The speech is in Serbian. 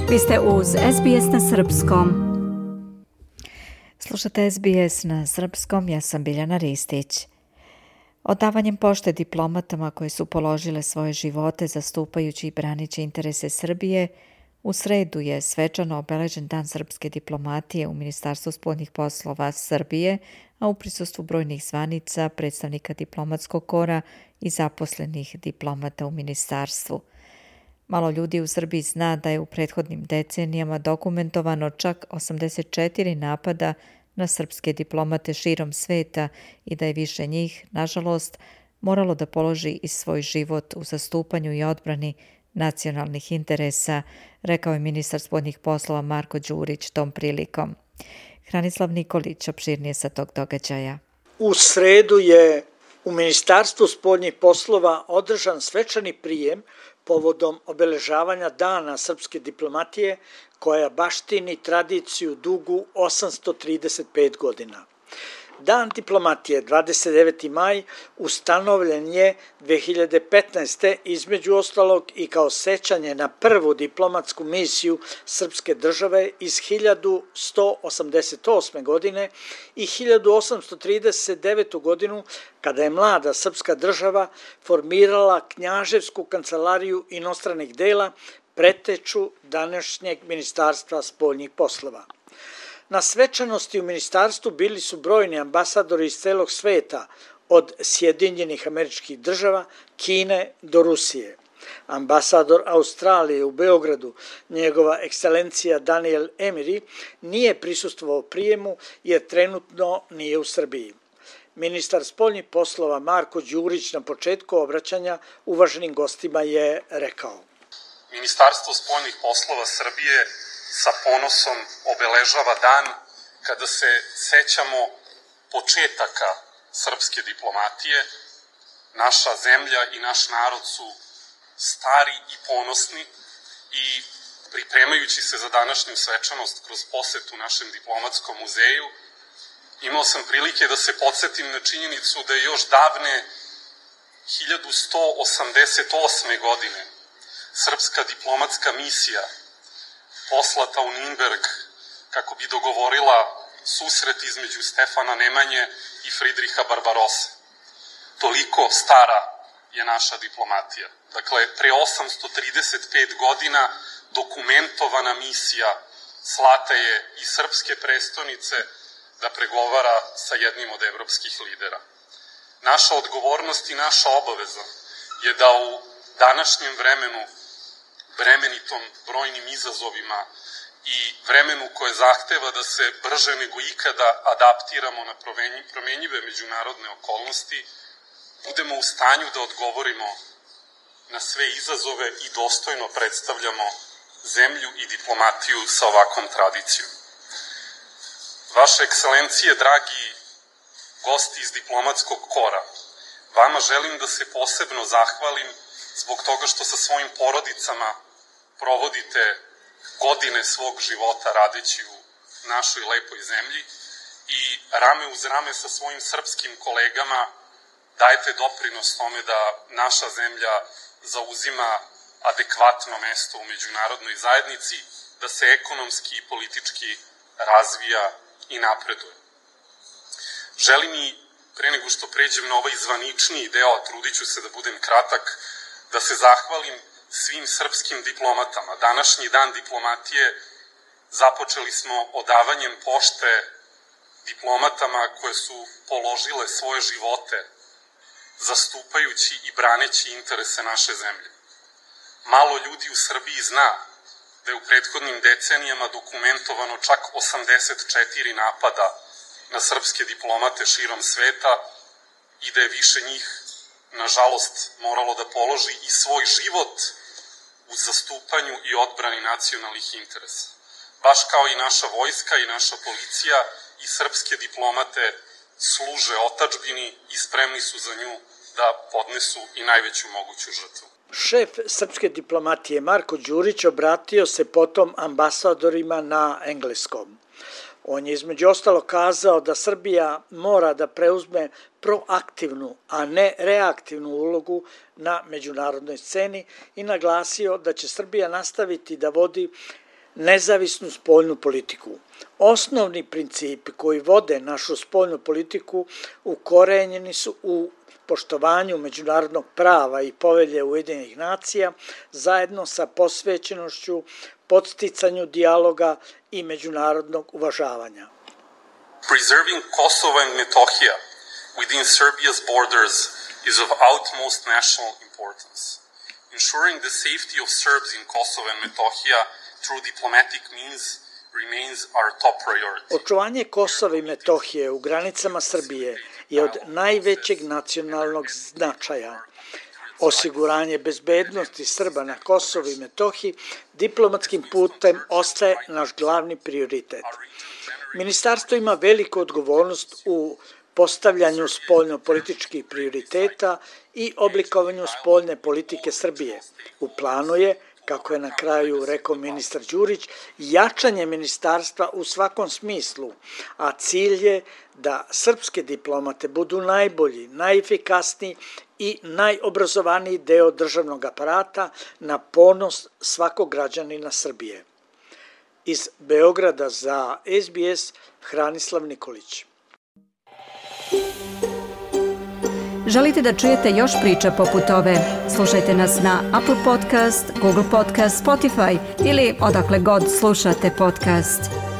Vi ste uz SBS na Srpskom. Slušate SBS na Srpskom, ja sam Biljana Ristić. Odavanjem pošte diplomatama koje su položile svoje živote zastupajući i branići interese Srbije, u sredu je svečano obeležen Dan srpske diplomatije u Ministarstvu spoljnih poslova Srbije, a u prisustvu brojnih zvanica, predstavnika diplomatskog kora i zaposlenih diplomata u ministarstvu. Malo ljudi u Srbiji zna da je u prethodnim decenijama dokumentovano čak 84 napada na srpske diplomate širom sveta i da je više njih, nažalost, moralo da položi i svoj život u zastupanju i odbrani nacionalnih interesa, rekao je ministar spoljnih poslova Marko Đurić tom prilikom. Hranislav Nikolić opširnije sa tog događaja. U sredu je u Ministarstvu spoljnih poslova održan svečani prijem povodom obeležavanja Dana srpske diplomatije koja baštini tradiciju dugu 835 godina. Dan diplomatije, 29. maj, ustanovljen je 2015. između ostalog i kao sećanje na prvu diplomatsku misiju srpske države iz 1188. godine i 1839. godinu, kada je mlada srpska država formirala Knjaževsku kancelariju inostranih dela, preteču današnjeg Ministarstva spoljnih poslova. Na svečanosti u ministarstvu bili su brojni ambasadori iz celog sveta, od Sjedinjenih Američkih Država, Kine do Rusije. Ambasador Australije u Beogradu, njegova ekscelencija Daniel Emiri, nije prisustvovao prijemu jer trenutno nije u Srbiji. Ministar spoljnih poslova Marko Đurić na početku obraćanja uvaženim gostima je rekao: Ministarstvo spoljnih poslova Srbije sa ponosom obeležava dan kada se sećamo početaka srpske diplomatije. Naša zemlja i naš narod su stari i ponosni i pripremajući se za današnju svečanost kroz posetu našem diplomatskom muzeju, imao sam prilike da se podsjetim na činjenicu da je još davne 1188. godine srpska diplomatska misija poslata u Nürnberg kako bi dogovorila susret između Stefana Nemanje i Fridriha Barbarosse. Toliko stara je naša diplomatija. Dakle, pre 835 godina dokumentovana misija slata je iz srpske prestonice da pregovara sa jednim od evropskih lidera. Naša odgovornost i naša obaveza je da u današnjem vremenu, bremenitom brojnim izazovima i vremenu koje zahteva da se brže nego ikada adaptiramo na promenjive međunarodne okolnosti, budemo u stanju da odgovorimo na sve izazove i dostojno predstavljamo zemlju i diplomatiju sa ovakvom tradicijom. Vaše ekscelencije, dragi gosti iz diplomatskog kora, vama želim da se posebno zahvalim zbog toga što sa svojim porodicama provodite godine svog života radeći u našoj lepoj zemlji i rame uz rame sa svojim srpskim kolegama dajete doprinos tome da naša zemlja zauzima adekvatno mesto u međunarodnoj zajednici, da se ekonomski i politički razvija i napreduje. Želim i, pre nego što pređem na ovaj zvaničniji deo, a trudit ću se da budem kratak, da se zahvalim svim srpskim diplomatama. Današnji dan diplomatije započeli smo odavanjem pošte diplomatama koje su položile svoje živote zastupajući i braneći interese naše zemlje. Malo ljudi u Srbiji zna da je u prethodnim decenijama dokumentovano čak 84 napada na srpske diplomate širom sveta i da je više njih, nažalost, moralo da položi i svoj život u zastupanju i odbrani nacionalnih interesa. Baš kao i naša vojska i naša policija i srpske diplomate služe otadžbini i spremni su za nju da podnesu i najveću moguću žrtvu. Šef srpske diplomatije Marko Đurić obratio se potom ambasadorima na engleskom. On je između ostalo kazao da Srbija mora da preuzme proaktivnu, a ne reaktivnu ulogu na međunarodnoj sceni i naglasio da će Srbija nastaviti da vodi nezavisnu spoljnu politiku. Osnovni principi koji vode našu spoljnu politiku ukorenjeni su u poštovanju međunarodnog prava i povelje Ujedinjenih nacija, zajedno sa posvećenošću, podsticanju dijaloga i međunarodnog uvažavanja. Preserving Kosovo and Metohija within Serbia's borders is of utmost national importance. Ensuring the safety of Serbs in Kosovo and Metohija through diplomatic means remains our top priority. Očuvanje Kosova i Metohije u granicama Srbije je od najvećeg nacionalnog značaja. Osiguranje bezbednosti Srba na Kosovu i Metohiji diplomatskim putem ostaje naš glavni prioritet. Ministarstvo ima veliku odgovornost u postavljanju spoljno-političkih prioriteta i oblikovanju spoljne politike Srbije. U planu je, kako je na kraju rekao ministar Đurić, jačanje ministarstva u svakom smislu, a cilj je da srpske diplomate budu najbolji, najefikasniji i najobrazovaniji deo državnog aparata na ponos svakog građanina Srbije. Iz Beograda za SBS Hranislav Nikolić. Želite da čujete još priča poput ove? Slušajte nas na Apple Podcast, Google Podcast, Spotify ili odakle god slušate podcast.